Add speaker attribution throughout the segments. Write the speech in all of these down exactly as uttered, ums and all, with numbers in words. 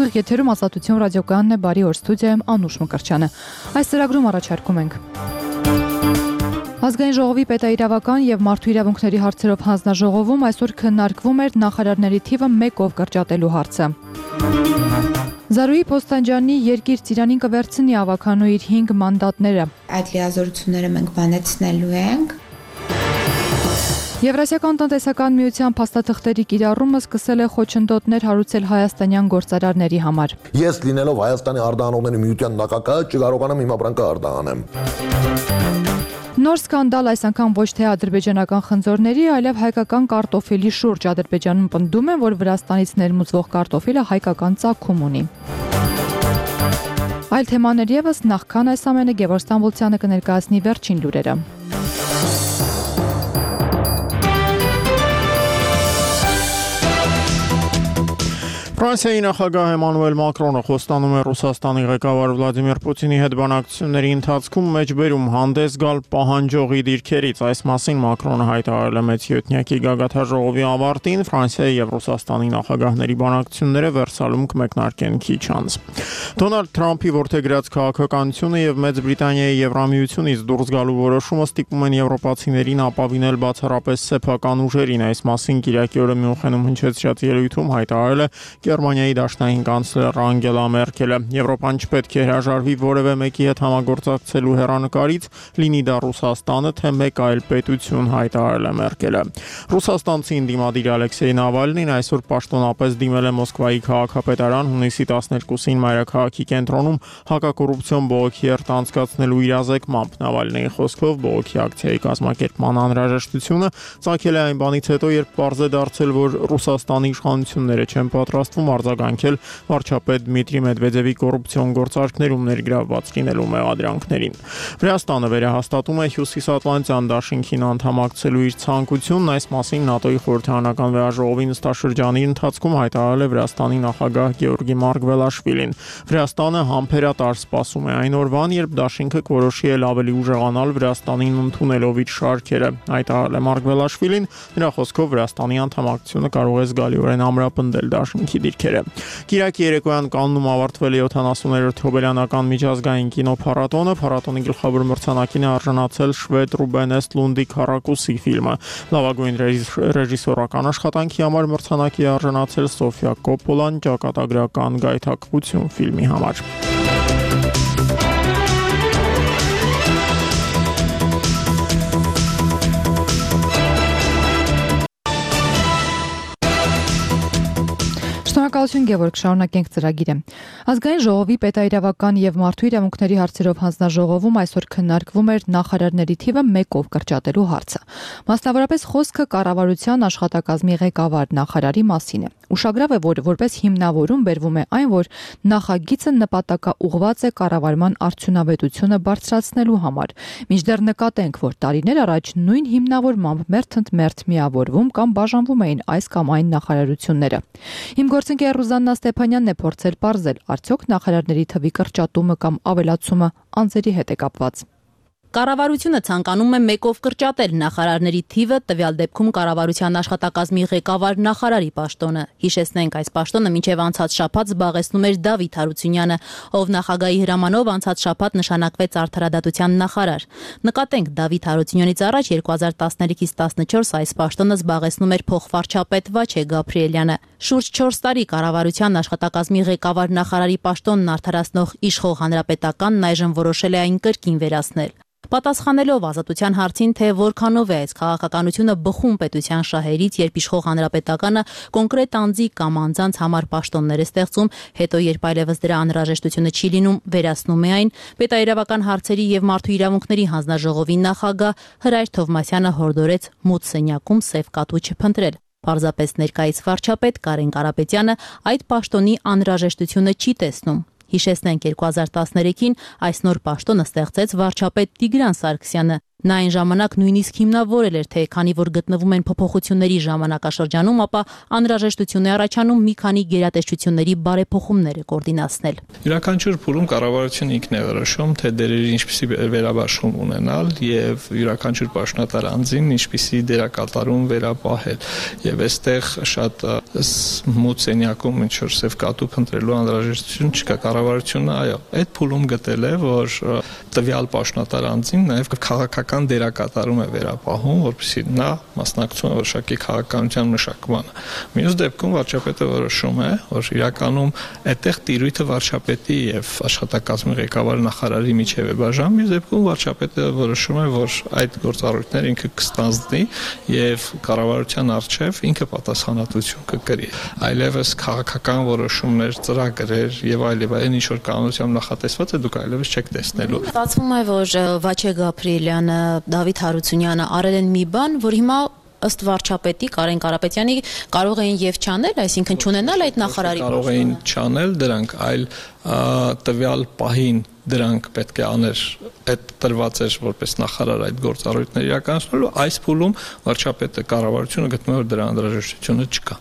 Speaker 1: Ուղիղ եթերում Ազատություն ռադիոկայանն է, բարի օր, ստուդիայում Անուշ Մկրտչյանը։ Այս ծրագրում առաջարկում ենք Ազգային ժողովի պետաիրավական եւ մարդու իրավունքների հարցերով հանձնաժողովում այսօր քննարկվում էր նախարարների թիվը մեկով կրճատելու հարցը։ Զարուհի Փոստանջյանի երկիր Ծիրանին կվերցնի ավականու իր հինգ մանդատները։
Speaker 2: Այդ լիազորությունները մենք բանեցնելու ենք։
Speaker 1: Եվրասիական տնտեսական միության փաստաթղթերի կիրառումը սկսել է խոչընդոտներ հարուցել հայաստանյան գործարարների համար։
Speaker 3: Ես լինելով Հայաստանի արտահանողների միության նախագահ չկարողանամ իմ ապրանքը արտահանեմ։
Speaker 1: Նոր սկանդալ այս անգամ ոչ թե ադրբեջանական խնձորների, այլև հայկական կարտոֆիլի շուրջ։ Ադրբեջանում պնդում են, որ Վրաստանից ներմուծվող կարտոֆիլը հայկական ծագում ունի։ Այլ թեմաներ ևս նախքան այս ամենը Գևորգ Ստամբոլցյանը կներկայացնի վերջին լուրերը։
Speaker 4: Ֆրանսիայի նախագահ Էմանուել Մակրոնը խոստանում է Ռուսաստանի ղեկավար Վլադիմիր Պուտինի հետ բանակցությունների ընթացքում մեջբերում հանդես գալ պահանջողի դիրքերից։ Այս մասին Մակրոնը հայտարարել է մեծյոթնյակի գագաթնաժողովի ավարտին։ Ֆրանսիայի եւ Ռուսաստանի նախագահների բանակցությունները Վերսալում կմեկնարկեն քիչ անց։ Դոնալդ Թրամփի որդեգրած քաղաքականությունը եւ Մեծ Բրիտանիայի Եվրամիությունից դուրս գալու որոշումը ստիպում են եվրոպացիներին ապավինել բացառապես սեփական ուժերին։ Այս մասին Կիրակի օրը Մյունխենում հնչեցրած ելույթում հայտարարել է Գերմանիայի դաշնային կանցլեր Անգելա Մերկելը։ Եվրոպան չպետք է հրաժարվի որևէ մեկի հետ համագործակցելու հեռանկարից, լինի դա Ռուսաստանը, թե մեկ այլ պետություն, հայտարարել է Մերկելը։ Ռուսաստանցի ընդդիմադիր Ալեքսեյ Նավալնին այսօր պաշտոնապես դիմել է Մոսկվայի քաղաքապետարան հունիսի տասներկուսին մայրաքաղաքի կենտրոնում հակակոռուպցիոն բողոքի երթ անցկացնելու իրազեկմամբ։ Նավալնիի խոսքով բողոքի ակցիայի կազմակերպման անհրաժեշտությունը ծագել է այն բանից հետո, երբ պարզ է դարձել, որ Ռուսաստանի իշխանությունները չեն պատրաստվում արձագանքել վարչապետ Դմիտրի Մեդվեդևի կոռուպցիոն գործարքներում ներգրավված լինելու մեղադրանքներին։ Վրաստանը վերահաստատում է Հյուսիսատլանտյան դաշինքին անդամակցելու իր ցանկությունն։ Այս մասին ՆԱՏՕ-ի խորհրդարանական վեաժողովի նստաշրջանի ընթացքում հայտարարել է Վրաստանի նախագահ Գեորգի Մարգվելաշվիլին։ Վրաստանը համբերատար սպասում է այն օրվան, երբ դաշինքը կորոշի էլ ավելի ուժեղանալ Վրաստանին ընդունելով իր շարքերը, հայտարարել է Մարգվելաշվիլին։ Նրա խոսքով Վրաստանի անդամակցությունը կարող է զգալիորեն ամրապնդել դաշինքի դիրքերը։ Կիրակի երեկոյան Կաննում ավարտվել է յոթանասուներորդ հոբելյանական միջազգային կինոփառատոնը։ Փառատոնի գլխավոր մրցանակին է արժանացել շվեդ Ռուբեն Էսթլունդի Քառակուսի ֆիլմը։ Լավագույն ռեժիսորական աշխատանքի համար մրցանակի է արժանացել Սոֆիա Կոպպոլան ճակատագրական գայթակղություն ֆիլմի համար։
Speaker 1: Շնորհակալություն Գևորգ, շարունակենք ծրագիրը։ Ազգային ժողովի պետաիրավական եւ մարդու իրավունքների հարցերով հանձնաժողովում այսօր քննարկվում էր նախարարների թիվը մեկով կրճատելու հարցը։ Մասնավորապես խոսքը կառավարության աշխատակազմի ղեկավար նախարարի մասին է։ Ուշագրավ է, որ որպես հիմնավորում բերվում է այն, որ նախագիծը նպատակաուղղված է կառավարման արդյունավետությունը բարձրացնելու համար։ Մինչդեռ նկատենք, որ տարիներ առաջ նույն հիմնավորմամբ մերթընդմերթ միավորվում կամ բաժանվում էին այս կամ այն նախարարությունները։ Իմ գործընկեր Ռուզաննա Ստեփանյանն է փորձել պարզել, արդյոք նախարարների թվի կրճատումը կամ ավելացումը անձերի հետ է կապված։
Speaker 5: Կառավարությունը ցանկանում է մեկով կրճատել նախարարների թիվը, տվյալ դեպքում կառավարության աշխատակազմի ղեկավար նախարարի պաշտոնը։ Հիշեցնենք, այս պաշտոնը մինչև անցած շաբաթ զբաղեցնում էր Դավիթ Հարությունյանը, ով նախագահի հրամանով անցած շաբաթ նշանակվեց արդարադատության նախարար։ Նկատենք, Դավիթ Հարությունյանից առաջ երկու հազար տասներեքից տասնչորս այս պաշտոնը զբաղեցնում էր փոխվարչապետ Վաչե Գաբրիելյանը։ Շուրջ չորս տարի կառավարության աշխատակազմի ղեկավար նախարարի պաշտոնն արդարացնող իշխող հանրապետականն այժմ որոշել է այն կրկին վերացնել։ Պատասխանելով Ազատության հարցին, թե որքանով է այս քաղաքականությունը բխում պետության շահերից, երբ իշխող հանրապետականը կոնկրետ անձի կամ անձանց համար պաշտոններ է ստեղծում, հետո երբ այլևս դրա անհրաժեշտությունը չի լինում, վերացնում է այն, պետաիրավական հարցերի եւ մարդու իրավունքների հանձնաժողովի նախագահ Հրայր Թովմասյանը հորդորեց մութ սենյակում սև կատու չփնտրել։ Պարզապես ներկայիս վարչապետ Կարեն Կարապետյանը այդ պաշտոնի անհրաժեշտությունը չի տեսնում։ Հիշեցնենք, երկու հազար տասներեքին այս նոր պաշտոնը ստեղծեց վարչապետ Տիգրան Սարգսյանը։ Նա այն ժամանակ նույնիսկ հիմնավորել էր, թե քանի որ գտնվում են փոփոխությունների ժամանակաշրջանում, ապա անհրաժեշտություն է առաջանում մի քանի գերատեսչությունների բարեփոխումները կոորդինացնել։
Speaker 6: Յուրաքանչյուր փուլում կառավարությունը ինքն է որոշում, թե դերերի ինչպիսի վերաբաշխում ունենալ եւ յուրաքանչյուր պաշտոնատար անձին ինչպիսի դերակատարում վերապահել։ Եվ այստեղ շատ մութ սենյակում ինչ որ սև կատու փնտրելու անհրաժեշտություն չկա։ Կառավարությունը, այո, այդ փուլում գտել է, որ տվյալ պաշտոնատար անձին նաեւ քաղաքական դերակատարում է վերապահում, որպեսզի նա մասնակցում է որոշակի քաղաքականության մշակմանը։ Մյուս դեպքում վարչապետը որոշում է, որ իրականում այդտեղ տիրույթը վարչապետի եւ աշխատակազմի ղեկավարի նախարարի միջև է բաժանում, մյուս դեպքում վարչապետը որոշում է, որ այդ գործառույթները ինքը կստանձնի եւ կառավարության արչեւ ինքը պատասխանատվություն կկրի։ Այլևս քաղաքական որոշումներ, ծրագրեր եւ այլ եւ այն ինչ որ կանոնությամբ նախատեսված է, դուք այլևս չեք տեսնելու։
Speaker 5: Ստացվում է, որ Վաչե Գաբրիելյանը, Դավիթ Հարությունյանը արել են մի բան, որ հիմա ըստ վարչապետի Կարեն Կարապետյանի կարող էին եւ չանել, այսինքն չունենալ այդ նախարարի
Speaker 6: կարող էին չանել դրանք, այլ տվյալ պահին դրանք պետք է աներ, այդ տրված էր որպես նախարար այդ գործառույթները իրականացնելու, այս փուլում վարչապետը կառավարությունը գտնում է, որ դրա անհրաժեշտությունը չկա։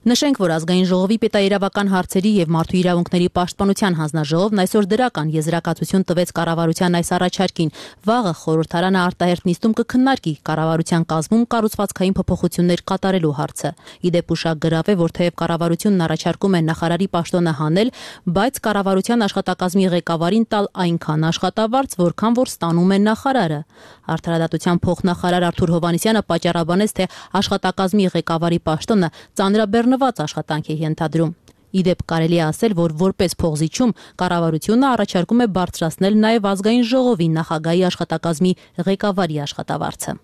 Speaker 5: Նշենք, որ ազգային ժողովի պետաիրավական հարցերի եւ մարդու իրավունքների պաշտպանության հանձնաժողովն այսօր դրական եզրակացություն տվեց կառավարության այս առաջարկին։ Վաղը խորհրդարանը արտահերթ նիստում կքննարկի կառավարության կազմում կառուցվածքային փոփոխություններ կատարելու հարցը։ Իդեպ ուշագրավ է, որ թեև կառավարությունն առաջարկում է նախարարի պաշտոնը հանել, բայց կառավարության աշխատակազմի ղեկավարին տալ այնքան աշխատավարձ, որքան որ ստանում է նախարարը։ Արդարադատության փոխնախարար Արթուր Հովհաննիսյանը պատճառաբանեց, թե աշխատակազմի ղեկավարի պաշտոնը ծանրաբեռնված աշխատանք է ենթադրում։ Իդեպ կարելի է ասել, որ որպես փողզիչում կառավարությունը առաջարկում է բարձրացնել նաև ազգային ժողովի նախագահի աշխատակազմի ղեկավարի աշխատավարձը։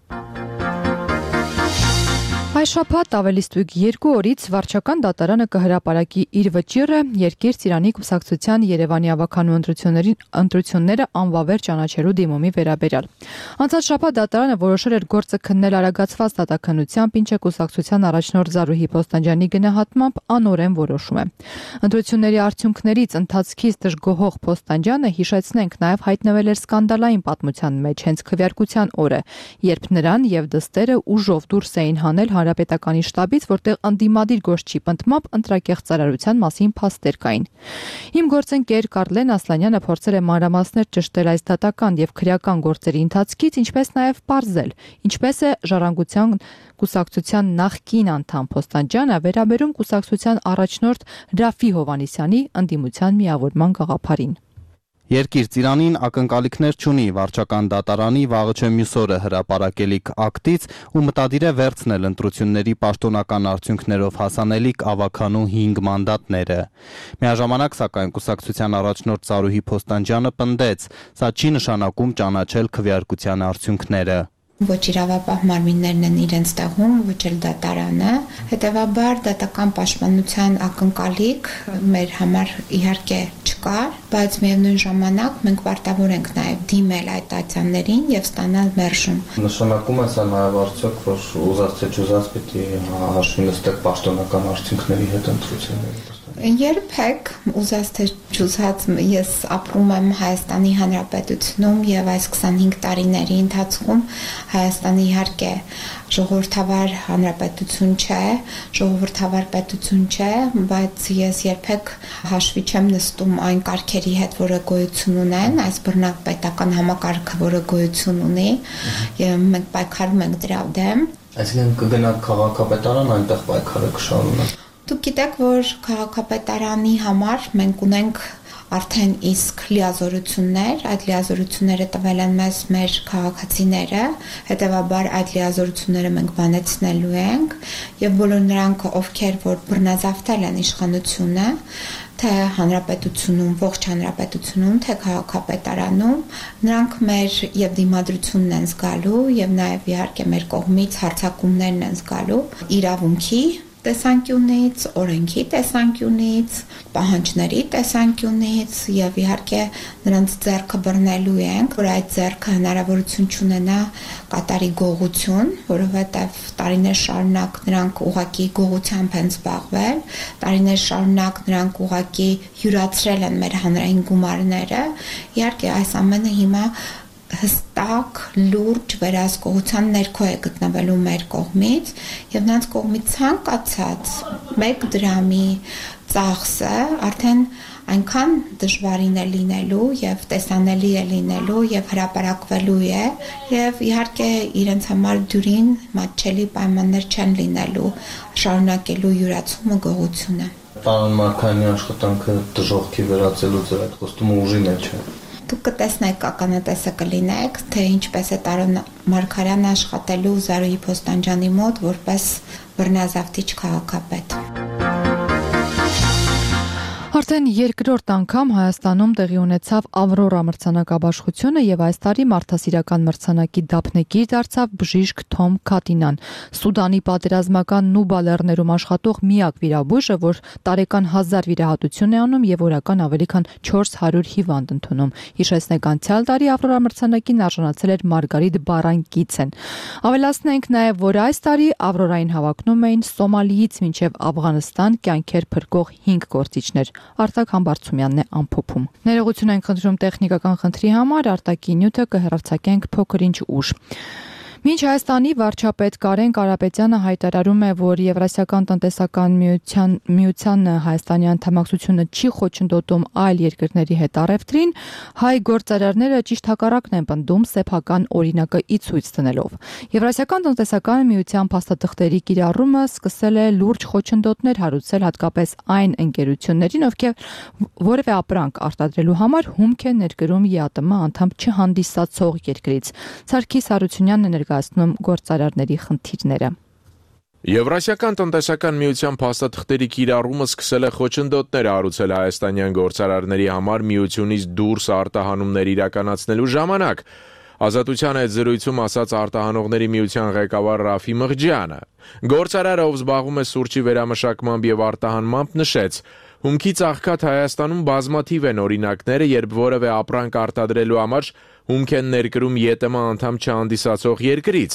Speaker 1: Այս շաբաթ ավելի ստույգ երկու օրից վարչական դատարանը կհրապարակի իր վճիռը Երկիր Ծիրանի կուսակցության Երևանի ավականու ընտրությունները անվավեր ճանաչելու դիմումի վերաբերյալ։ Անցած շաբաթ դատարանը որոշել էր գործը քննել արագացված դատաքննությամբ, ինչը կուսակցության առաջնորդ Զարուհի Փոստանջյանի գնահատմամբ անօրեն որոշում է։ Ընտրությունների արդյունքներից ընթացքից դժգոհող Փոստանջյանը, հիշեցնենք, նաև հայտնվել էր սկանդալային պատմության մեջ հենց քվեարկության օրը, երբ նրան եւ դստերը ուժով դուրս էին հանել Հանրապետականի շտաբից, որտեղ անդիմադիր գործչի պնդմամբ ընտրակեղծարարության մասին փաստեր կային։ Իմ գործընկեր Կարլեն Ասլանյանը փորձել է մանրամասներ ճշտել այս դատական եւ քրեական գործերի ընթացքից, ինչպես նաեւ պարզել, ինչպես է Ժառանգության կուսակցության նախկին անդամ Փոստանջյանը վերաբերում կուսակցության առաջնորդ Ռաֆի Հովհաննիսյանի ընդդիմության միավորման գաղափարին։
Speaker 7: Երկիր Ծիրանին ակնկալիքներ չունի վարչական դատարանի վաղը չէ մյուս օրը հրապարակելիք ակտից ու մտադիր է վերցնել ընտրությունների պաշտոնական արդյունքներով հասանելիք ավականու հինգ մանդատները։ Միաժամանակ, սակայն, կուսակցության առաջնորդ Զարուհի Փոստանջյանը պնդեց, սա չի նշանակում ճանաչել քվեարկության արդյունքները։
Speaker 2: Ոչ իրավապահ մարմիններն են իրենց տեղում, ոչ էլ դատարանը, հետևաբար դատական պաշտպանության ակնկալիք մեր համար իհարկե չկար, բայց միևնույն ժամանակ մենք պարտավոր ենք նաև դիմել այդ ատյաններին եւ ստանալ մերժում։
Speaker 8: Նշանակում է սա նաև արդյոք, որ ուզած թե չուզած պիտի հաշվի նստեք պաշտոնական արդյունքների հետ ընտրությունների։
Speaker 2: Երբեք ուզած թե չուզած ես ապրում եմ Հայաստանի Հանրապետությունում եւ այս քսանհինգ տարիների ընթացքում Հայաստանը իհարկե ժողովրդավար հանրապետություն չէ, ժողովրդավար պետություն չէ, բայց ես երբեք հաշվի չեմ նստում այն կարգերի հետ, որը գոյություն ունեն, այս բռնակ պետական համակարգը, որը գոյություն ունի, եւ մենք պայքարում ենք դրա դեմ։
Speaker 8: Այսինքն կգնաք քաղաքապետարան, այնտեղ պայքարը կշարունակեք։
Speaker 2: Դուք գիտեք, որ քաղաքապետարանի համար մենք ունենք արդեն իսկ լիազորություններ, այդ լիազորությունները տվել են մեզ մեր քաղաքացիները, հետևաբար այդ լիազորությունները մենք բանեցնելու ենք եւ բոլոր նրանք, ովքեր որ բռնազավթել են իշխանությունը, թե հանրապետությունում, ողջ հանրապետությունում, թե քաղաքապետարանում, նրանք մեր եւ դիմադրությունն են զգալու եւ նաեւ իհարկե մեր կողմից հարձակումներն են զգալու իրավունքի տեսանկյունից, օրենքի տեսանկյունից, պահանջների տեսանկյունից եւ իհարկե նրանց ձեռքը բռնելու ենք, որ այդ ձեռքը հնարավորություն չունենա կատարի գողություն, որովհետեւ տարիներ շարունակ նրանք ուղակի գողությամբ են զբաղվել, տարիներ շարունակ նրանք ուղակի յուրացրել են մեր հանրային գումարները։ Իհարկե այս ամենը հիմա հստակ, լուրջ վերահսկողության ներքո է գտնվելու մեր կողմից եւ նրանց կողմից ցանկացած մեկ դրամի ծախսը արդեն այնքան դժվարին է լինելու եւ տեսանելի է լինելու եւ հրապարակվելու է եւ իհարկե իրենց համար դյուրին մատչելի պայմաններ չեն լինելու շարունակելու յուրացումը գողությունը։
Speaker 8: Պարոն Մարկարյանի աշխատանքը դժոխքի վերածելու ձեր այդ խոստումը ուժի մեջ է։
Speaker 2: Դուք կտեսնեք, ականատեսը կլինեք, թե ինչպես է Տարոն Մարկարյանը աշխատելու Զարուհի Փոստանջյանի մոտ որպես բռնազավթիչ քաղաքապետ։
Speaker 1: Արդեն երկրորդ անգամ Հայաստանում տեղի ունեցավ Ավրորա մրցանակաբաշխությունը եւ այս տարի մարդասիրական մրցանակի դափնեկիր դարձավ բժիշկ Թոմ Քատինան, Սուդանի պատերազմական Նուբա լեռներում աշխատող միակ վիրաբույժը, որ տարեկան հազար վիրահատություն է անում եւ օրական ավելի քան չորս հարյուր հիվանդ ընդունում։ Հիշեցնենք, անցյալ տարի Ավրորա մրցանակին արժանացել էր Մարգարիտ Բարանկիցեն։ Ավելացնենք նաեւ, որ այս տարի Ավրորային հավակնում էին Սոմալիից մինչեւ Աֆղանստան կյանքեր փրկող հինգ գործիչներ։ Արտակ Համբարձումյանն է ամփոփում։ Ներողություն ենք խնդրում տեխնիկական խնդրի համար, արտակի նյութը կհեռարձակենք փոքր-ինչ ուշ։ Մինչ Հայաստանի վարչապետ Կարեն Կարապետյանը հայտարարում է, որ Եվրասիական տնտեսական միության միության Հայաստանի անդամակցությունը չի խոչընդոտում այլ երկրների հետ առևտրին, հայ գործարարները ճիշտ հակառակն են պնդում սեփական օրինակը ի ցույց դնելով։ Եվրասիական տնտեսական միության փաստաթղթերի կիրառումը սկսել է լուրջ խոչընդոտներ հարուցել հատկապես այն ընկերություններին, ովքեր որևէ ապրանք արտադրելու համար հումք են ներկրում ԵԱՏՄ անդամ չհանդիսացող երկրից։ Սարգիս Հարությունյանն է գործարարների խնդիրները։
Speaker 9: Եվրասիական տնտեսական միության փաստաթղթերի կիրառումը սկսել է խոչընդոտներ հարուցել հայաստանյան գործարարների համար միությունից դուրս արտահանումներ իրականացնելու ժամանակ։ Ազատության այդ զրույցում ասաց արտահանողների միության ղեկավար Ռաֆի Մղջյանը։ Գործարարը, ով զբաղվում է սուրճի վերամշակմամբ եւ արտահանմամբ, նշեց. Հումքի ծաղկած Հայաստանում բազմաթիվ են օրինակները, երբ որևէ ապրանք արտադրելու համար հումք են ներկրում ԵՏՄ անդամ չհանդիսացող երկրից։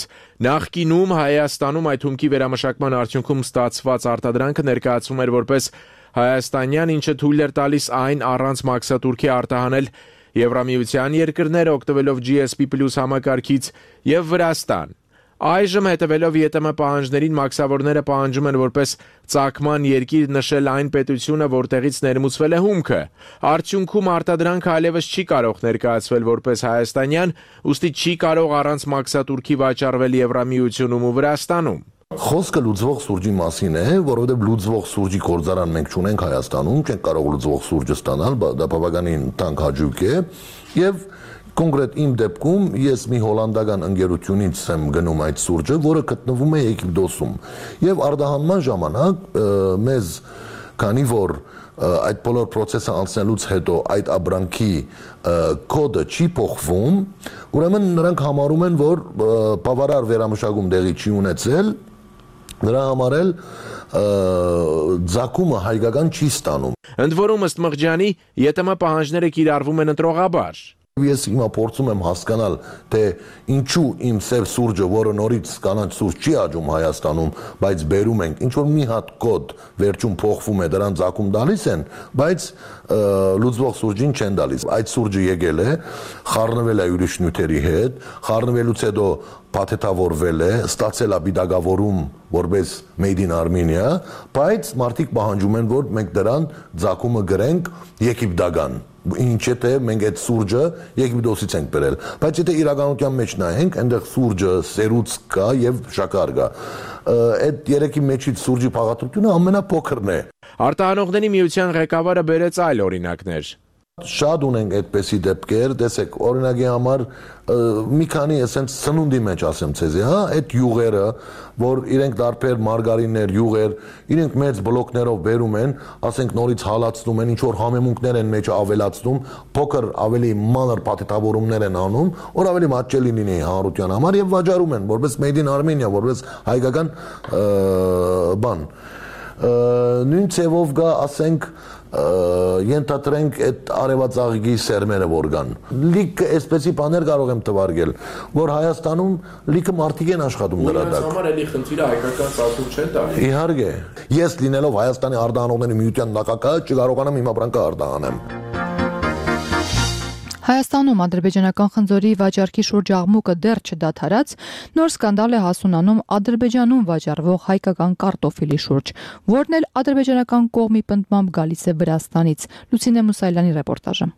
Speaker 9: Նախկինում Հայաստանում այդ հումքի վերամշակման արդյունքում ստացված արտադրանքը ներկայացվում էր որպես հայաստանյան, ինչը թույլ էր տալիս այն առանց մաքսատուրքի արտահանել Եվրամիության երկրները, օգտվելով G S P plus համակարգից եւ Վրաստան։ Այժմ հետևելով ԵՏՄ պահանջներին մաքսավորները պահանջում են որպես ծագման երկիր նշել այն պետությունը, որտեղից ներմուծվել է հումքը։ Արդյունքում արտադրանքը այլևս չի կարող ներկայացվել որպես հայաստանյան, ուստի չի կարող առանց մաքսատուրքի վաճառվել Եվրամիությունում ու Վրաստանում։
Speaker 3: Խոսքը լուծվող սուրճի մասին է, որովհետև լուծվող սուրճի գործարան մենք չունենք Հայաստանում, չենք կարող լուծվող սուրճը ստանալ, դա բավականին թանկ հաճույք է, եւ կոնկրետ իմ դեպքում ես մի հոլանդական ընկերությունից եմ գնում այդ սուրճը, որը գտնվում է Եգիպտոսում, եւ արտահանման ժամանակ մեզ, քանի որ այդ բոլոր process-ը անցնելուց հետո այդ ապրանքի կոդը չի փոխվում, ուրեմն նրանք համարում են, որ բավարար վերամշակում տեղի չի ունեցել, նրա համար էլ ձակումը հայկական չի ստանում։
Speaker 9: Ընդ որում ըստ Մղջյանի ԵՏՄ պահանջները կիրառվում են ընտրողաբար։
Speaker 3: Ես հիմա փորձում եմ հասկանալ, թե ինչու իմ սև սուրճը, որը նորից կանաչ սուրճ չի աճում Հայաստանում, բայց բերում ենք, ինչ որ մի հատ կոդ վերջում փոխվում է, դրան ցակում տալիս են, բայց լուծվող սուրճին չեն տալիս։ Այդ սուրճը եկել է, խառնվել է ուրիշ նյութերի հետ, խառնվելուց հետո փաթեթավորվել է, ստացել է բիդագավորում որպես Made in Armenia, բայց մարդիկ պահանջում են, որ մենք դրան ցակումը գրենք եգիպտական։ Ինչ է թե մենք այդ սուրճը Եգիպտոսից ենք բերել, բայց եթե իրականության մեջ նայենք, այնտեղ սուրճը, սերուց կա եւ շաքար կա։ Այդ երեքի մեջից սուրճի փաղադրությունը ամենափոքրն է։
Speaker 9: Արտահանողների միության ղեկավարը բերեց այլ օրինակներ։
Speaker 3: Շատ ունենք այդպեսի դեպքեր, տեսեք, օրինակի համար մի քանի էսենց սնունդի մեջ ասեմ ցեզի, հա, այդ յուղերը, որ իրենք դարբեր մարգարիններ, յուղեր, իրենք մեծ բլոկներով բերում են, ասենք նորից հալածնում են, ինչ որ համեմունքներ են մեջ ավելացնում, փոքր ավելի մանր փաթեթավորումներ են անում, որ ավելի մատչելի լինի հանրության համար եւ վաճառում են որպես Made in Armenia, որպես հայկական բան։ Նույն ցևով գա, ասենք ենթադրենք այդ արևածաղիկի սերմերը որ կան։ Լիքը այսպեսի բաներ կարող եմ թվարկել, որ Հայաստանում լիքը մարդիկ են աշխատում դրա տակ։
Speaker 9: Նրանց համար էլի խնդիրը հայկական ծագում չեն տալի։
Speaker 3: Իհարկե, ես լինելով Հայաստանի արտահանողների միության նախագահ չկարողանամ իմ ապրանքը արտահանեմ։
Speaker 1: Հայաստանում ադրբեջանական խնձորի վաճառքի շուրջ աղմուկը դեռ չդադարած, նոր սկանդալ է հասունանում Ադրբեջանում վաճառվող հայկական կարտոֆիլի շուրջ, որն էլ ադրբեջանական կողմի պնդմամբ գալիս է Վրաստանից։ Լուսինե Մուսայելյանի ռեպորտաժը։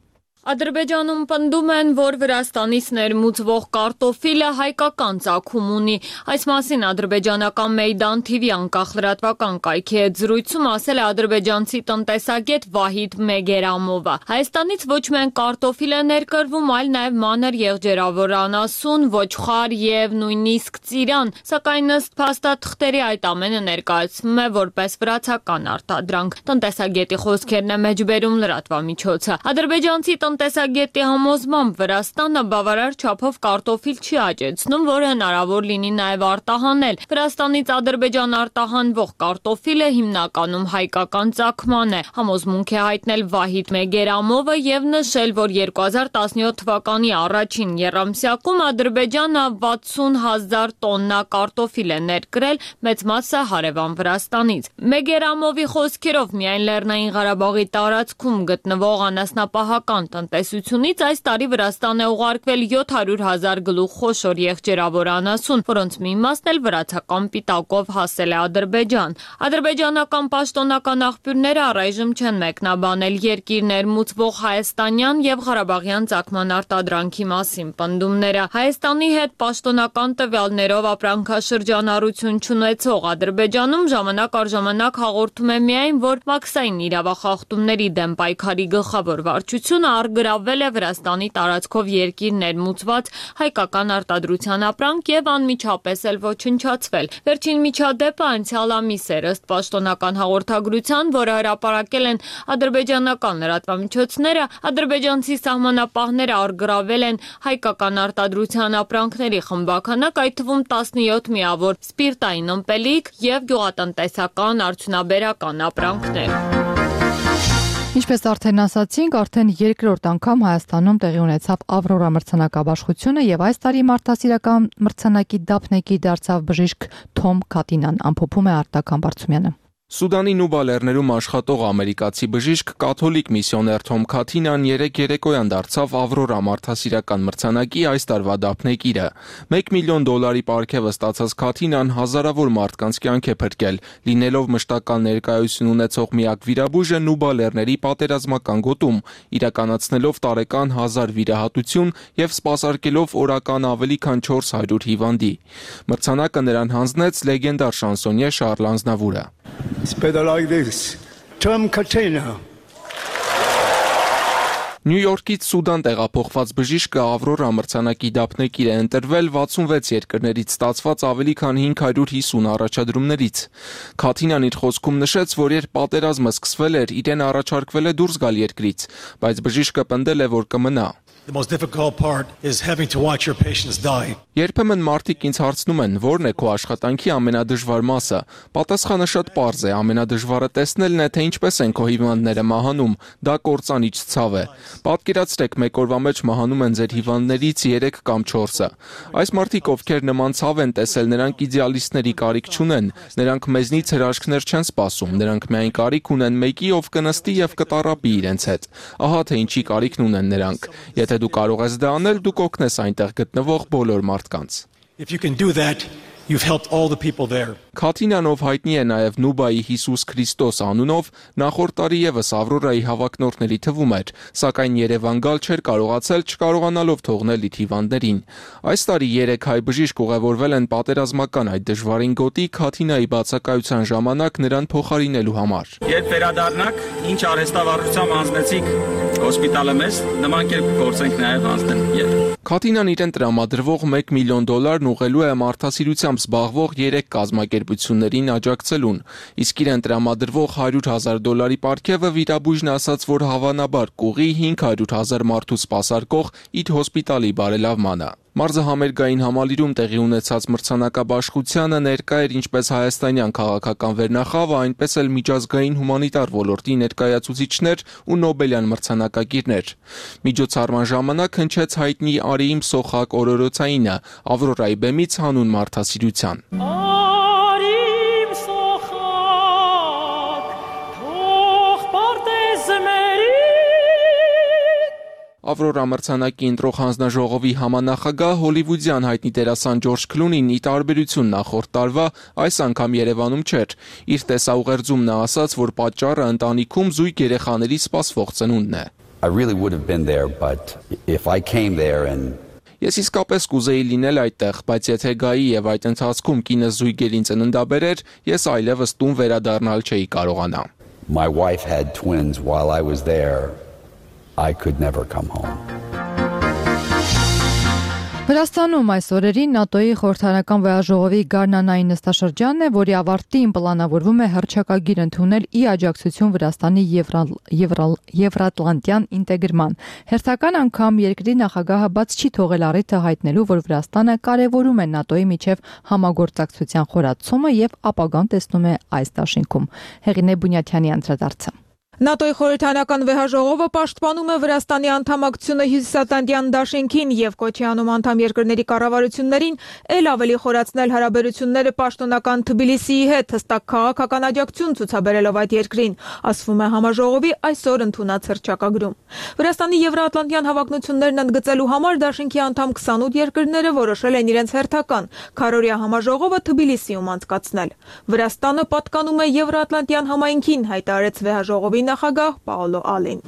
Speaker 10: Ադրբեջանում պնդում են, որ Վրաստանից ներմուծվող կարտոֆիլը հայկական ծագում ունի։ Այս մասին ադրբեջանական Մեյդան թիվի անկախ լրատվական կայքի հետ զրույցում ասել է ադրբեջանցի տնտեսագետ Վահիդ Մեգերամովը։ Հայաստանից ոչ միայն կարտոֆիլ է ներկրվում, այլ նաև մանր եղջերավոր անասուն, ոչխար եւ նույնիսկ ծիրան, սակայն ըստ փաստաթղթերի այդ ամենը ներկայացվում է որպես վրացական արտադրանք։ Տնտեսագետի խոսքերն է մեջբերում լրատվամիջոցը։ Ադրբեջանցի տնտեսագետի համոզմամբ Վրաստանը բավարար չափով կարտոֆիլ չի աճեցնում, որը հնարավոր լինի նաև արտահանել։ Վրաստանից Ադրբեջան արտահանվող կարտոֆիլը հիմնականում հայկական ծագման է։ Համոզմունք է հայտնել Վահիդ Մեգերամովը եւ նշել, որ երկու հազար տասնյոթ թվականի առաջին եռամսյակում Ադրբեջանը վաթսուն հազար տոննա կարտոֆիլ է ներկրել, մեծ մասը հարևան Վրաստանից։ Մեգերամովի խոսքերով միայն Լեռնային Ղարաբաղի տարածքում գտնվող անասնապահական տնտեսությունից այս տարի Վրաստան է ուղարկվել յոթ հարյուր հազար գլուխ խոշոր եղջերավոր անասուն, որոնց մի մասն էլ վրացական պիտակով հասել է Ադրբեջան։ Ադրբեջանական պաշտոնական աղբյուրները առայժմ չեն մեկնաբանել երկիր ներմուծվող հայաստանյան եւ ղարաբաղյան ծագման արտադրանքի մասին պնդումները։ Հայաստանի հետ պաշտոնական տվյալներով ապրանքաշրջանառություն չունեցող Ադրբեջանում ժամանակ առ ժամանակ հաղորդում է միայն, որ մաքսային իրավախախտումների դեմ պայքարի գլխավոր վարչությունը արգրավել է Վրաստանի տարածքով երկիր ներմուծված հայկական արտադրության ապրանք եւ անմիջապես էլ ոչնչացվել։ Վերջին միջադեպը անցյալ ամիս էր, ըստ պաշտոնական հաղորդագրության, որը հրապարակել են ադրբեջանական լրատվամիջոցները, ադրբեջանցի սահմանապահները արգրավել են հայկական արտադրության ապրանքների խմբականակ, այդ թվում տասնյոթ միավոր սպիրտային ըմպելիք եւ գյուղատնտեսական արդյունաբերական ապրանքներ։
Speaker 1: Ինչպես արդեն ասացինք, արդեն երկրորդ անգամ Հայաստանում տեղի ունեցավ Ավրորա մրցանակաբաշխությունը եւ այս տարի մարդասիրական մրցանակի դափնեկիր դարձավ բժիշկ Թոմ Քաթինան, ամփոփում է Արտակ Համբարձումյանը։
Speaker 11: Սուդանի Նուբա լեռներում աշխատող ամերիկացի բժիշկ կաթոլիկ միսիոներ Թոմ Քաթինան երեկ երեկոյան դարձավ Ավրորա մարդասիրական մրցանակի այս տարվա դափնեկիրը։ մեկ միլիոն դոլարի պարգևը ստացած Քաթինան հազարավոր մարդկանց կյանք է փրկել, լինելով մշտական ներկայություն ունեցող միակ վիրաբույժը Նուբա լեռների պատերազմական գոտում, իրականացնելով տարեկան հազար վիրահատություն եւ սպասարկելով օրական ավելի քան չորս հարյուր հիվանդի։ Մրցանակը նրան հանձնեց լեգենդար շանսոնյե Շարլ Ազնավուրը։
Speaker 12: It's better like this. Tom Katina.
Speaker 11: Նյու Յորքից Սուդան տեղափոխված բժիշկը Ավրորա մրցանակի դափնեկիր է ընտրվել վաթսունվեց երկրներից ստացված ավելի քան հինգ հարյուր հիսուն առաջադրումներից։ Քաթինան իր խոսքում նշեց, որ երբ պատերազմը սկսվել էր, իրեն առաջարկվել է դուրս գալ երկրից, բայց բժիշկը պնդել է, որ կմնա։
Speaker 12: The most difficult part is having to watch your patients die.
Speaker 11: Երբեմն մարդիկ ինձ հարցնում են, որն է քո աշխատանքի ամենադժվար մասը։ Պատասխանը շատ պարզ է, ամենադժվարը տեսնելն է, թե ինչպես են քո հիվանդները մահանում, դա կործանիչ ցավ է։ Պատկերացրեք, մեկ օրվա մեջ մահանում են ձեր հիվանդներից երեք կամ չորսը։ Այս մարդիկ, ովքեր նման ցավ են տեսել, նրանք իդեալիստների կարիք չունեն, նրանք մեզնից հրաշքներ չեն սպասում, նրանք միայն կարիք ունեն մեկի, ով կնստի եւ կտարապի իրենց հետ։ Ահա թե ինչի կարիքն ունեն նրանք։ Եթե դու կարող ես դա անել, դու կօգնես այնտեղ գտնվող բոլոր մարդկանց։
Speaker 12: If you can do that, you've helped all the people there.
Speaker 11: Քաթինան, ով հայտնի է նաև Նուբայի Հիսուս Քրիստոս անունով, նախորդ տարի եւս Ավրորայի հավակնորդների թվում էր, սակայն Երևան գալ չէր կարողացել, չկարողանալով թողնել իր հիվանդներին։ Այս տարի երեք հայ բժիշկ ուղևորվել են պատերազմական այդ դժվարին գոտի Քաթինայի բացակայության ժամանակ նրան փոխարինելու համար։
Speaker 13: Երբ վերադառնաք, ինչ արհեստավարժությամբ անցնեցիք հոսպիտալը մեզ, նման կերպ գործենք նաև անցնել երբ։
Speaker 11: Քաթինան իրեն տրամադրվող մեկ միլիոն դոլարն ուղղելու է մարդասիրությամբ զբաղվող երեք կազմակերպություններին աջակցելուն, իսկ իրեն տրամադրվող հարյուր հազար դոլարի պարգևը վիրաբույժն ասաց, որ հավանաբար կուղի հինգ հարյուր հազար մարդու սպասարկող իր հոսպիտալի բարելավմանը։ Մարզահամերգային համալիրում տեղի ունեցած մրցանակաբաշխությանը ներկա էր ինչպես հայաստանյան քաղաքական վերնախավը, այնպես էլ միջազգային հումանիտար ոլորտի ներկայացուցիչներ ու Նոբելյան մրցանակակիրներ։ Միջոցառման ժամանակ հնչեց հայտնի Արիիմ Սոխակ օրորոցայինը Ավրորայի բեմից հանուն մարդասիրության։ Ավրորա մրցանակի ընտրող հանձնաժողովի համանախագահ հոլիվուդյան հայտնի դերասան Ջորջ Քլունին ի տարբերություն նախորդ տարվա այս անգամ Երևանում չէր։ Իր տեսաուղերձում նա ասաց, որ պատճառը ընտանիքում զույգ երեխաների սպասվող ծնունդն է։
Speaker 14: I really would have been there, but if I came there and
Speaker 11: Ես իսկապես կուզեի լինել այդտեղ, բայց եթե գայի եւ այդ ընթացքում կինս զույգերին ծննդաբերեր, ես այլևս տուն վերադառնալ չէի կարողանա։
Speaker 14: My wife had twins while I was there, I could never come home.
Speaker 1: Վրաստանում այս օրերին ՆԱՏՕ-ի խորհրդարանական վեհաժողովի գարնանային նստաշրջանն է, որի ավարտին պլանավորվում է հռչակագիր ընդունել ի աջակցություն Վրաստանի եվրատլանտյան ինտեգրման։ Հերթական անգամ երկրի նախագահը բաց չի թողել առիթը հայտնելու, որ Վրաստանը կարևորում է ՆԱՏՕ-ի միջև համագործակցության խորացումը եւ ապագան տեսնում է այս դաշինքում։ Հեղինե Բունյաթյանի անդրադարձը։
Speaker 15: ՆԱՏՕ-ի խորհրդարանական վեհաժողովը պաշտպանում է Վրաստանի անդամակցությունը Հյուսիսատլանտյան դաշինքին եւ կոչի անում անդամ երկրների կառավարություններին ել ավելի խորացնել հարաբերությունները պաշտոնական Թբիլիսիի հետ, հստակ քաղաքական աջակցություն ցուցաբերելով այդ երկրին, ասվում է համաժողովի այսօր ընդունած հռչակագրում։ Վրաստանի եվրատլանտյան հավակնություններն ընդգծելու համար դաշինքի անդամ քսանութ երկրները որոշել են իրենց հերթական քառօրյա համաժողովը Թբիլիսիում անցկացնել։ Վրաստանը պատկանում է Եվրատլանտյան համայնքին, հայտարարեց վեհաժողովի նախագահ Պաոլո Ալին։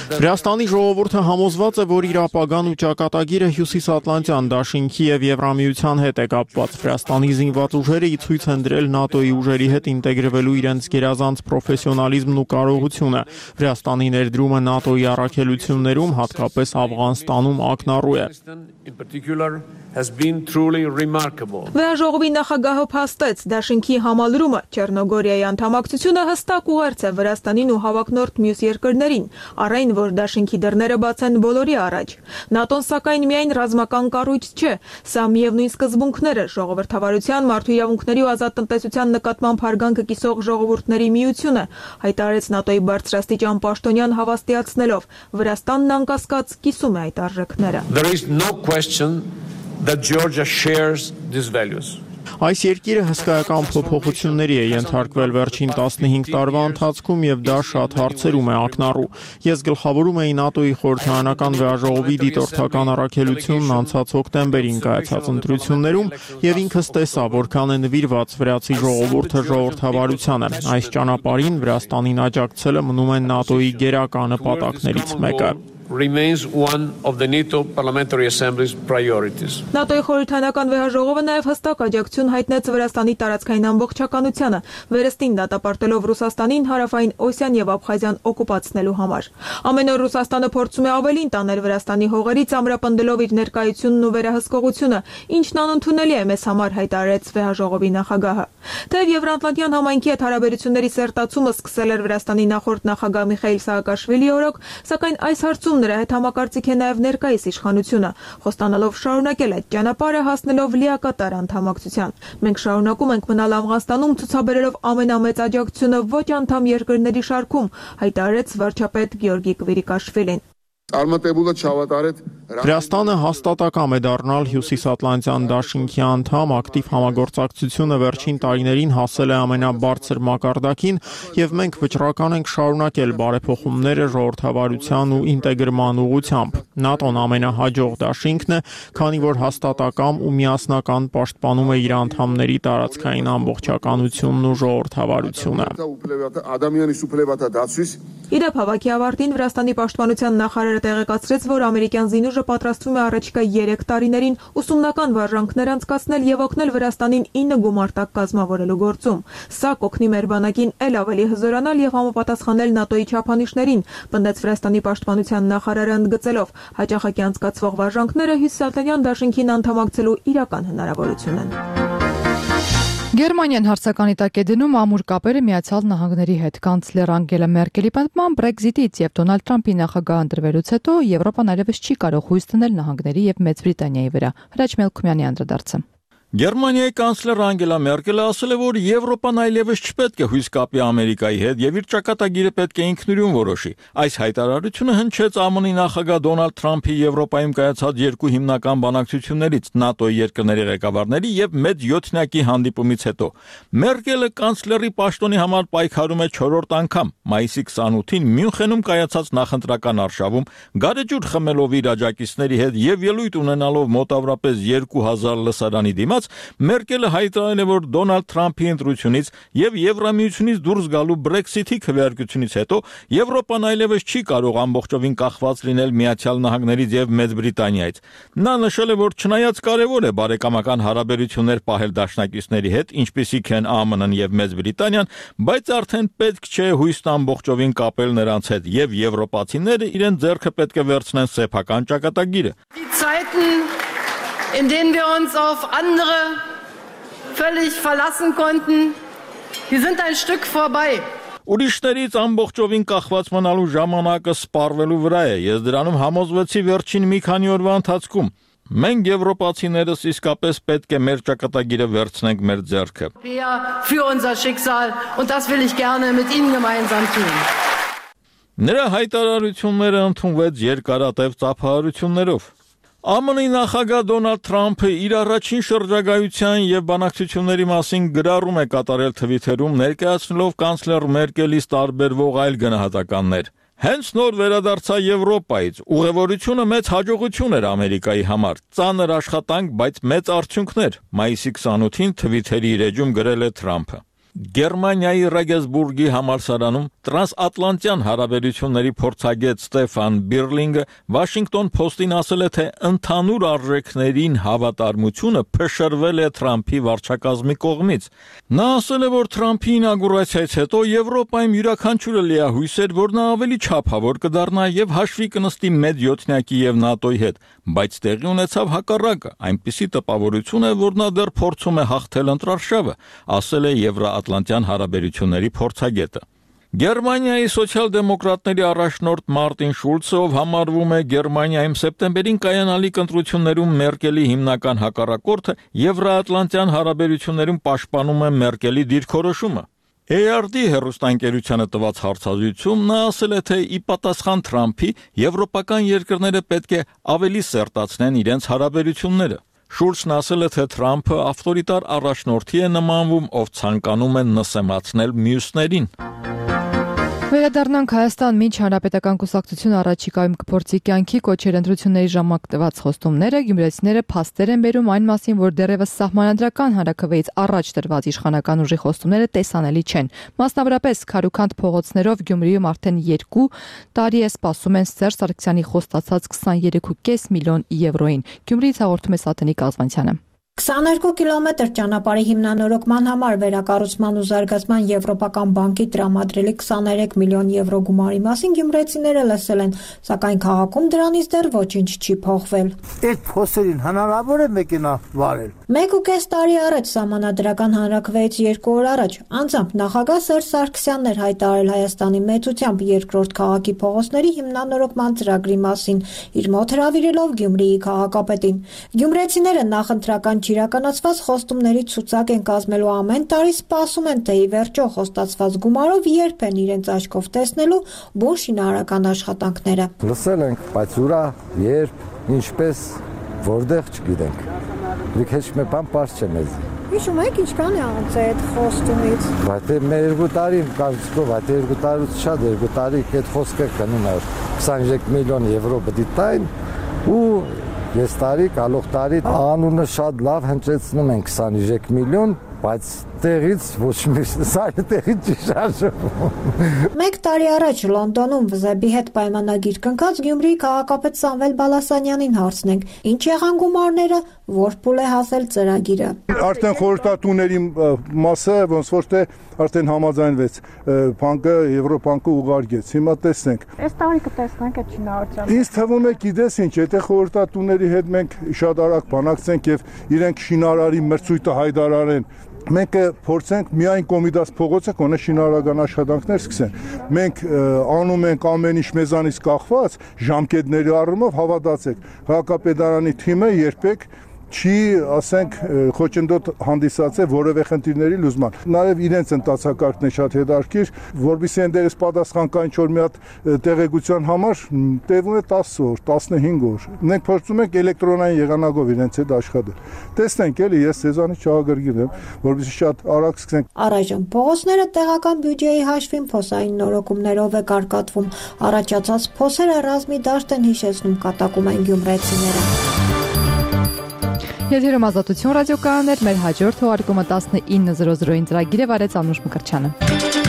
Speaker 4: Վրաստանի ժողովուրդը համոզված է, որ իր ապագան ու ճակատագիրը Հյուսիսատլանտյան դաշինքի եւ Եվրամիության հետ է կապված։ Վրաստանի զինված ուժերը ի ցույց են դրել ՆԱՏՕ-ի ուժերի հետ ինտեգրվելու իրենց գերազանց պրոֆեսիոնալիզմն ու կարողությունը։ Վրաստանի ներդրումը ՆԱՏՕ-ի առաքելություններում, հատկապես Աֆղանստանում, ակնառու է։
Speaker 15: Վեհաժողովի նախագահը փաստեց, դաշինքի համալրումը Չեռնոգորիայի անդամակցությունը հստակ ուղերձ է Վրաստանին ու հավակնորդ մյուս երկրներին, առայն որ դաշինքի դռները բաց են բոլորի առաջ։ ՆԱՏՕ-ն սակայն միայն ռազմական կառույց չէ, սա միևնույն սկզբունքներ է, ժողովրդավարության, մարդու իրավունքների ու ազատ տնտեսության նկատմամբ հարգանքը կիսող ժողովուրդների միությունը, հայտարարեց ՆԱՏՕ-ի բարձրաստիճան պաշտոնյան հավաստիացնելով, Վրաստանն անկասկած կիսում է այդ արժեքները։
Speaker 16: That Georgia shares these values.
Speaker 4: Այս երկիրը հսկայական փոփոխությունների է ենթարկվել վերջին տասնհինգ տարվա ընթացքում եւ դա շատ հարցերում է ակնառու։ Ես գլխավորում էի ՆԱՏՕ-ի խորհրդարանական վեհաժողովի դիտորդական առաքելությունն անցած հոկտեմբերին կայացած ընտրություններում եւ ինքս տեսա, որքան է նվիրված վրացի ժողովուրդը ժողովրդավարությանը։ Այս ճանապարհին Վրաստանին աջակցելը մնում է ՆԱՏՕ-ի գերակա նպատակներից մեկը։
Speaker 16: Remains one of the NATO Parliamentary Assembly's priorities.
Speaker 15: ՆԱՏՕ-ի խորհրդարանական վեհաժողովը նաև հստակ աջակցություն հայտնեց Վրաստանի տարածքային ամբողջականությանը, վերստին դատապարտելով Ռուսաստանին հարավային Օսիան եւ Աբխազիան օկուպացնելու համար։ Ամեն օր Ռուսաստանը փորձում է ավելին տանել Վրաստանի հողերից, ամրապնդելով իր ներկայությունն ու վերահսկողությունը, ինչն անընդունելի է մեզ համար, հայտարարեց վեհաժողովի նախագահը։ Թեև Եվրատլանտյան համայնքի հետ հարաբերությունների սերտացումը սկսել էր Վրաստանի նախորդ նախագահ Միխայիլ Սահակաշվիլիի օրոք, սակայն այս հարցում նրա հետ համակարծիք է նաև ներկայիս իշխանությունը, խոստանալով շարունակել այդ ճանապարհը հասնելով լիակատար անդամակցության։ Մենք շարունակում ենք մնալ Աֆղանստանում ցուցաբերելով ամենամեծ աջակցությունը ոչ անդամ երկրների շարքում, հայտարարեց վարչապետ Գեորգի Կվիրիկաշվիլին։
Speaker 4: Վրաստանը հաստատակամ է դառնալ Հյուսիսատլանտյան դաշինքի անդամ, ակտիվ համագործակցությունը վերջին տարիներին հասել է ամենաբարձր մակարդակին եւ մենք վճռական ենք շարունակել բարեփոխումները ժողովրդավարության ու ինտեգրման ուղղությամբ։ ՆԱՏՕ-ն ամենահաջող դաշինքն է, քանի որ հաստատակամ ու միասնական պաշտպանում է իր անդամների տարածքային ամբողջականությունն ու ժողովրդավարությունը։
Speaker 15: Իդեպ հավաքի ավարտին Վրաստանի պաշտպանության նախարարը տեղեկացրեց, որ ամերիկյան զինուժը պատրաստվում է առաջիկա երեք տարիներին ուսումնական վարժանքներ անցկացնել եւ օգնել Վրաստանին ինը գումարտակ կազմավորելու գործում։ Սա կօգնի մեր բանակին ել ավելի հզորանալ եւ համապատասխանել ՆԱՏՕ-ի չափանիշներին, պնդեց Վրաստանի պաշտպանության նախարարը ընդգծելով, հաճախակի անցկացվող վարժանքները Հյուսիսատլանտյան դաշինքին անդամակցելու իրական հնարավորություն են։
Speaker 1: Գերմանիան հարցականի տակ է դնում ամուր կապերը Միացյալ Նահանգների հետ։ Կանցլեր Անգելա Մերկելի պնդման Brexit-ից եւ Դոնալդ Թրամփի նախագահ ընտրվելուց հետո Եվրոպան այլևս չի կարող հույս դնել նահանգների եւ Մեծ Բրիտանիայի վրա։ Հրաչ Մելքումյանի անդրադարձը։
Speaker 17: Գերմանիայի կանցլեր Անգելա Մերկելը ասել է, որ Եվրոպան այլևս չպետք է հույս կապի Ամերիկայի հետ եւ իր ճակատագիրը պետք է ինքնուրույն որոշի։ Այս հայտարարությունը հնչեց ԱՄՆ-ի նախագահ Դոնալդ Թրամփի Եվրոպայում կայացած երկու հիմնական բանակցություններից ՆԱՏՕ-ի երկրների ղեկավարների եւ մեծ յոթնյակի հանդիպումից հետո։ Մերկելը կանցլերի պաշտոնի համար պայքարում է չորրորդ անգամ։ Մայիսի քսանութին Մյունխենում կայացած նախընտրական արշավում գարեջուր խմելով իր աջակիցների հետ եւ ելույթ ունենալով մոտավորապես երկու հազար լսարանի դիմաց Մերկելը հայտարարել է, որ Դոնալդ Թրամփի ընտրությունից եւ Եվրամիությունից դուրս գալու Brexit-ի քվեարկությունից հետո Եվրոպան այլևս չի կարող ամբողջովին կախված լինել Միացյալ Նահանգներից եւ Մեծ Բրիտանիայից։ Նա նշել է, որ չնայած կարեւոր է բարեկամական հարաբերություններ պահել դաշնակիցների հետ, ինչպիսիք են ԱՄՆ-ն եւ Մեծ Բրիտանիան, բայց արդեն պետք չէ հույսն ամբողջովին կապել նրանց հետ եւ եվրոպացիները իրեն ձեռքը պետք է վերցնեն սեփական ճակատագիրը։
Speaker 18: In denen wir uns auf andere völlig verlassen konnten, die sind ein Stück vorbei.
Speaker 17: Ուրիշներից ամբողջովին կախված մնալու ժամանակը սպառվելու վրա է։ Ես դրանում համոզվեցի վերջին մի քանի օրվա ընթացքում։ Մենք եվրոպացիներս իսկապես պետք է մեր ճակատագիրը վերցնենք մեր ձեռքը։
Speaker 18: Für unser Schicksal und das will ich gerne mit Ihnen gemeinsam tun.
Speaker 17: Նրա հայտարարությունները ընդունվեց երկարատև ծափահարություններով։ ԱՄՆ-ի նախագահ Դոնալդ Թրամփը իր առաջին շրջագայության եւ բանակցությունների մասին գրառում է կատարել Թվիթերում, ներկայացնելով կանցլեր Մերկելից տարբերվող այլ գնահատականներ։ Հենց նոր վերադարձա Եվրոպայից, ուղևորությունը մեծ հաջողություն էր Ամերիկայի համար, ծանր աշխատանք, բայց մեծ արդյունքներ։ Մայիսի քսանութին Թվիթերի իր էջում գրել է Թրամփը։ Գերմանիայի Ռեգենսբուրգի համալսարանում տրանսատլանտյան հարաբերությունների փորձագետ Ստեֆան Բիրլինգը Washington Post-ին ասել է, թե ընդհանուր արժեքներին հավատարմությունը փշրվել է Թրամփի վարչակազմի կողմից։ Նա ասել է, որ Թրամփի ինագուրացիայից հետո Եվրոպայում յուրաքանչյուրը լիահույս էր, որ նա ավելի չափավոր կդառնա եւ հաշվի կնստի մեծ յոթնյակի եւ ՆԱՏՕ-ի հետ, բայց տեղի ունեցավ հակառակը, այնպիսի տպավորություն է, որ նա դեռ փորձում է հաղթել ընտրարշավը, ասել է Եվրոատլանտյան հարաբերությունների փորձագետը։ Գերմանիայի սոցիալ-դեմոկրատների առաջնորդ Մարտին Շուլցը, ով համարվում է Գերմանիայում սեպտեմբերին կայանալիք ընտրություններում Մերկելի հիմնական հակառակորդը, Եվրոատլանտյան հարաբերություններում պաշտպանում է Մերկելի դիրքորոշումը։ A R D հեռուստաընկերությանը տված հարցազրույցում նա ասել է, թե ի պատասխան Թրամփի եվրոպական երկրները պետք է ավելի սերտացնեն իրենց հարաբերությունները։ Շուլցն ասել է, թե Թրամփը ավտորիտար առաջնորդի է նմանվում, ով ցանկանում է նսեմացնել մյուսներին։
Speaker 1: Վերադառնանք Հայաստան, մինչ հանրապետական կուսակցությունը առաջիկայում կփորձի կյանքի կոչեր ընտրությունների ժամանակ տված խոստումները, գյումրեցիները փաստեր են բերում այն մասին, որ դեռևս սահմանադրական հանրաքվեից առաջ տրված իշխանական ուժի խոստումները տեսանելի չեն։ Մասնավորապես քարուքանդ փողոցներով Գյումրիում արդեն երկու տարի է սպասում են Սերժ Սարգսյանի խոստացած քսաներեք կόμμα պենս միլիոն եվրոին։ Գյումրիից հաղորդում է Սաթենիկ Ազվանցյանը։
Speaker 19: քսաներկու կիլոմետր ճանապարհի հիմնանորոգման համար վերակառուցման ու զարգացման Եվրոպական բանկի տրամադրելի քսաներեք միլիոն եվրո գումարի մասին գյումրեցիները լսել են, սակայն քաղաքում դրանից դեռ ոչինչ չի փոխվել։
Speaker 20: Այդ փոսերին հնարավոր է մեքենա վարել։
Speaker 19: Մեկ ու կես տարի առաջ սահմանադրական հանրաքվեից երկու օր առաջ անձամբ նախագահ Սերժ Սարգսյանն էր հայտարարել Հայաստանի մեծությամբ երկրորդ քաղաքի փողոցների հիմնանորոգման ծրագրի մասին, իր մոտ հրավիրելով Գյումրիի քաղաքապետին։ Գյումրեցիները նախընտրական իրականացված խոստումների ցուցակ են կազմելու ամեն տարի սպասում են, թե ի վերջո խոստացված գումարով երբ են իրենց աչքով տեսնելու բուն շինարարական աշխատանքները։
Speaker 20: Լսել ենք, բայց ուրա, երբ, ինչպես, որտեղ չգիտենք։ Դուք հեչ մի բան պարզ չէ մեզ։
Speaker 19: Հիշում եք ինչքան է անցել այդ խոստումից։
Speaker 20: Բայց մեր երկու տարի կարծիքով, այդ երկու տարուց շատ երկու տարի այդ խոսքը կնում է քսաներեք միլիոն եվրո պետք է տային ու Ես տարի, գալող տարի անունը շատ լավ հնչեցնում են քսաներեք միլիոն, բայց տեղից ոչ մի սարի տեղից չի շարժվում։
Speaker 19: Մեկ տարի առաջ Լոնդոնում վզեբի հետ պայմանագիր կնքած Գյումրիի քաղաքապետ Սամվել Բալասանյանին հարցնենք, ինչ եղան գումարները, որ փուլ է հասել ծրագիրը։
Speaker 21: Արդեն խորհրդատուների մասը ոնց որ թե արդեն համաձայնվեց, բանկը Եվրոբանկը ուղարկեց։ Հիմա տեսնենք։
Speaker 19: Այս տարի կտեսնենք այդ շինարարությունը։
Speaker 21: Ինձ թվում է, գիտես ինչ, եթե խորհրդատուների հետ մենք շատ արագ բանակցենք եւ իրենք շինարարի մրցույթը հայտարարեն, մենք փորձենք միայն Կոմիդաս փողոցը կոնե շինարարական աշխատանքներ սկսեն։ Մենք անում ենք ամեն ինչ մեզանից կախված, ժամկետների առումով հավատացեք, քաղաքապետարանի թիմը երբեք չի, ասենք, խոչընդոտ հանդիսացել որևէ խնդիրների լուծման։ Նաև իրենց ընթացակարգն է շատ հետաքրքիր, որովհետեւ այնտեղից պատասխան կա ինչ-որ մի հատ տեղեկության համար տևում է տասը օր, տասնհինգ օր։ Մենք փորձում ենք էլեկտրոնային եղանակով իրենց հետ աշխատել։ Տեսնենք էլի, ես ցեզանից չհագրգիր եմ, որովհետեւ շատ արագ սկսենք։
Speaker 19: Առայժմ փողոցները տեղական բյուջեի հաշվին փոսային նորոգումներով է կարգատվում։ Առաջացած փոսերը ռազմի դաշտ են հիշեցնում, կատակում են գյումրեցիները։
Speaker 1: Եթերում Ազատություն ռադիոկայաններ, մեր հաջորդ թողարկումը տասնինը զրո զրոին ծրագիր է վարեց Անուշ Մկրտչյանը։